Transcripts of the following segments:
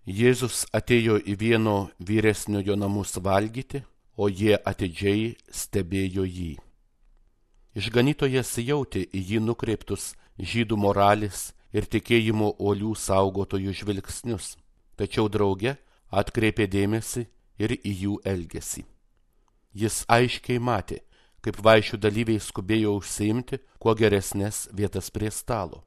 Jėzus atėjo į vieno vyresniojo namus valgyti, o jie atidžiai stebėjo jį. Išganytojas jautė į jį nukreiptus žydų moralės ir tikėjimo uolių saugotojų žvilgsnius, tačiau drauge atkreipė dėmesį ir į jų elgesį. Jis aiškiai matė, kaip vaišių dalyviai skubėjo užsiimti kuo geresnės vietas prie stalo.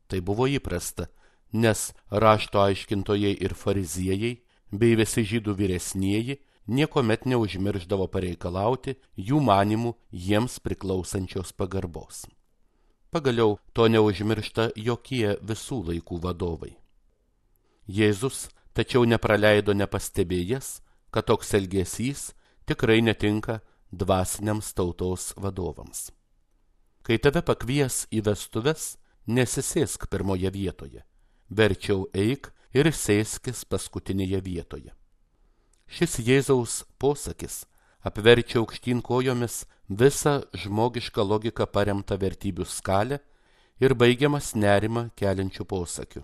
Tai buvo įprasta, nes rašto aiškintojai ir fariziejai bei visi žydų vyresnieji niekuomet neužmirždavo pareikalauti jų manimų jiems priklausančios pagarbos. Pagaliau to neužmiršta jokie visų laikų vadovai. Jėzus tačiau nepraleido nepastebėjęs, kad toks elgesys tikrai netinka dvasiniams tautos vadovams. Kai tave pakvies į vestuves, nesisėsk pirmoje vietoje, verčiau eik ir sėskis paskutinėje vietoje. Šis Jėzaus posakis apverčia aukštyn kojomis visą žmogišką logiką paremtą vertybių skalę ir baigiamas nerimą keliančių posakių.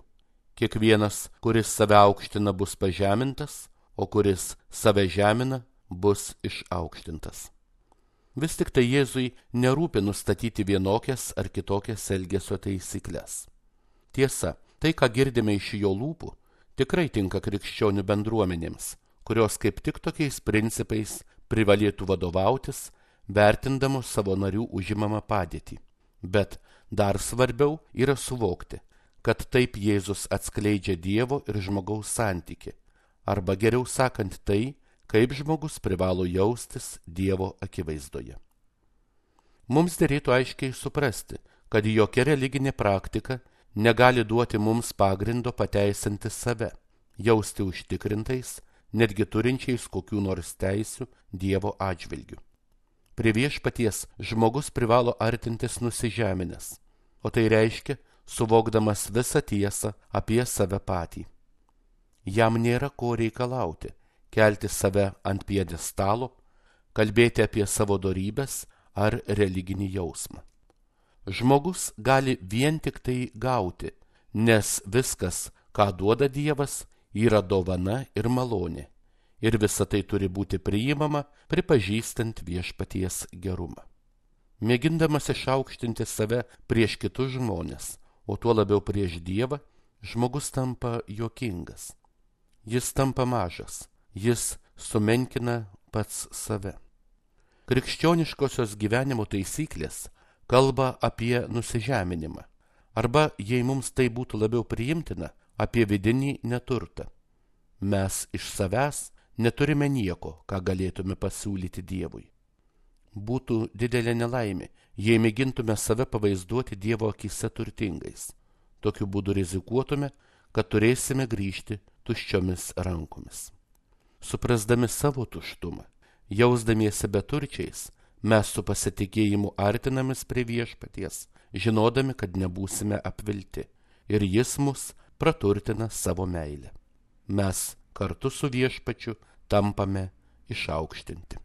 Kiekvienas, kuris save aukština, bus pažemintas, o kuris save žemina, bus išaukštintas. Vis tik tai Jėzui nerūpi nustatyti vienokias ar kitokias elgesio taisyklės. Tiesa, tai, ką girdime iš jo lūpų, tikrai tinka krikščionių bendruomenėms, kurios kaip tik tokiais principais privalėtų vadovautis, vertindamos savo narių užimamą padėtį. Bet dar svarbiau yra suvokti, kad taip Jėzus atskleidžia Dievo ir žmogaus santykį, arba geriau sakant tai, kaip žmogus privalo jaustis Dievo akivaizdoje. Mums derėtų aiškiai suprasti, kad jokia religinė praktika negali duoti mums pagrindo pateisinti save, jausti užtikrintais, netgi turinčiais kokių nors teisių Dievo atžvilgių. Prie viešpaties žmogus privalo artintis nusižeminęs, o tai reiškia suvokdamas visą tiesą apie save patį. Jam nėra ko reikalauti, kelti save ant pjedestalo, kalbėti apie savo dorybes ar religinį jausmą. Žmogus gali vien tik tai gauti, nes viskas, ką duoda Dievas, yra dovana ir malonė, ir visa tai turi būti priimama, pripažįstant viešpaties gerumą. Mėgindamas išaukštinti save prieš kitus žmones, o tuo labiau prieš Dievą, žmogus tampa juokingas. Jis tampa mažas, jis sumenkina pats save. Krikščioniškosios gyvenimo taisyklės kalba apie nusižeminimą, arba, jei mums tai būtų labiau priimtina, apie vidinį neturtą. Mes iš savęs neturime nieko, ką galėtume pasiūlyti Dievui. Būtų didelė nelaimė, jei mėgintume save pavaizduoti Dievo akyse turtingais. Tokiu būdu rizikuotume, kad turėsime grįžti tuščiomis rankomis. Suprasdami savo tuštumą, jausdamiesi beturčiais, mes su pasitikėjimu artinamės prie viešpaties, žinodami, kad nebūsime apvilti, ir jis mus praturtina savo meilę. Mes kartu su viešpačiu tampame išaukštinti.